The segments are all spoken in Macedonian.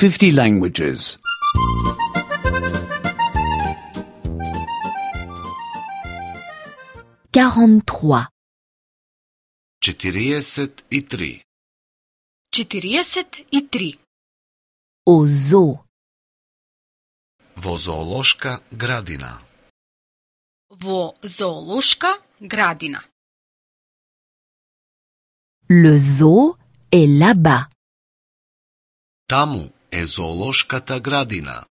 50 languages. 43. 43. 43. Au zoo. Во зоолошка градина. Во зоолошка градина. Le zoo est là-bas. Таму е зоолошката градина.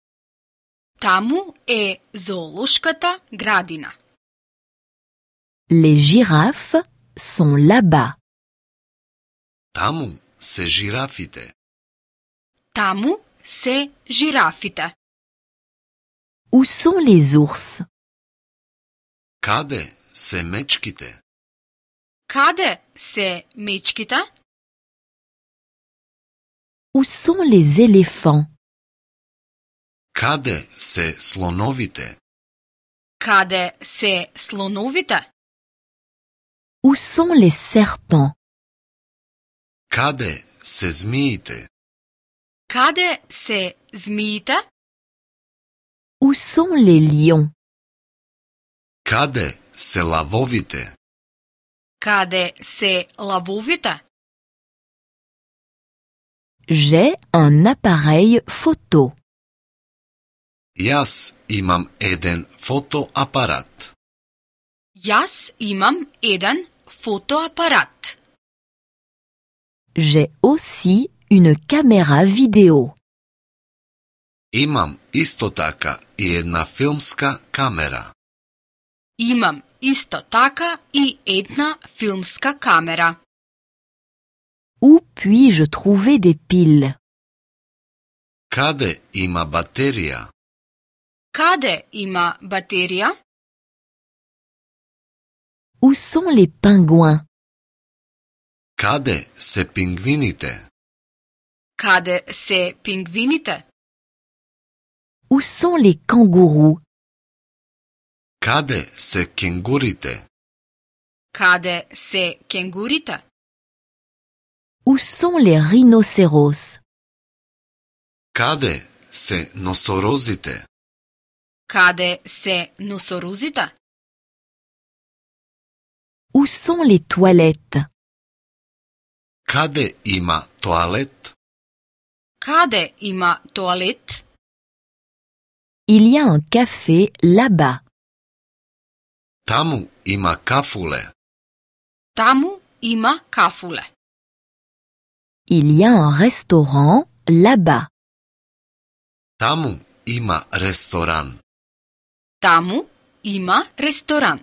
Таму е зоолошката градина. Les girafes sont là-bas. Таму се жирафите. Таму се жирафите. Où sont les ours? Каде се мечките? Каде се мечките? Où sont les éléphants? Каде се слоновите? Каде се слоновите? Où sont les serpents? Каде се змиите? Каде се змиите? Où sont les lions? Каде се лавовите? Каде се лавовите? J'ai un appareil photo. Јас имам еден фотоапарат. Јас имам еден фотоапарат. J'ai aussi une caméra vidéo. Имам исто така и една филмска камера. Имам исто така и една филмска камера. Où puis-je trouver des piles? Каде има батерија? Каде има батерија? Où sont les pingouins? Каде се пингвините? Каде се пингвините? Où sont les kangourous? Каде се кенгурите? Каде се кенгурите? Où sont les rhinocéros? Каде се носорозите? Каде се носорозите? Où sont les toilettes? Каде има тоалет? Каде има тоалет? Il y a un café là-bas. Таму има кафуле. Таму има кафуле. Il y a un restaurant là-bas. Таму има ресторан. Таму има ресторан.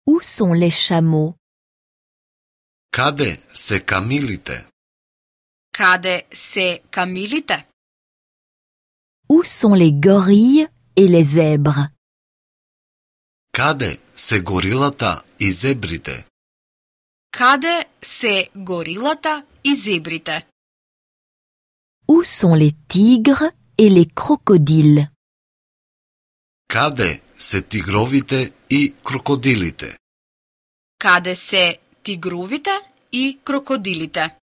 Où sont les chameaux? Каде се камилите? Каде се камилите? Où sont les gorilles et les zèbres? Каде се горилата и зебрите? Каде се горилата и зебрите? Où sont les tigres et les crocodiles? Каде се тигровите и крокодилите? Каде се тигровите и крокодилите?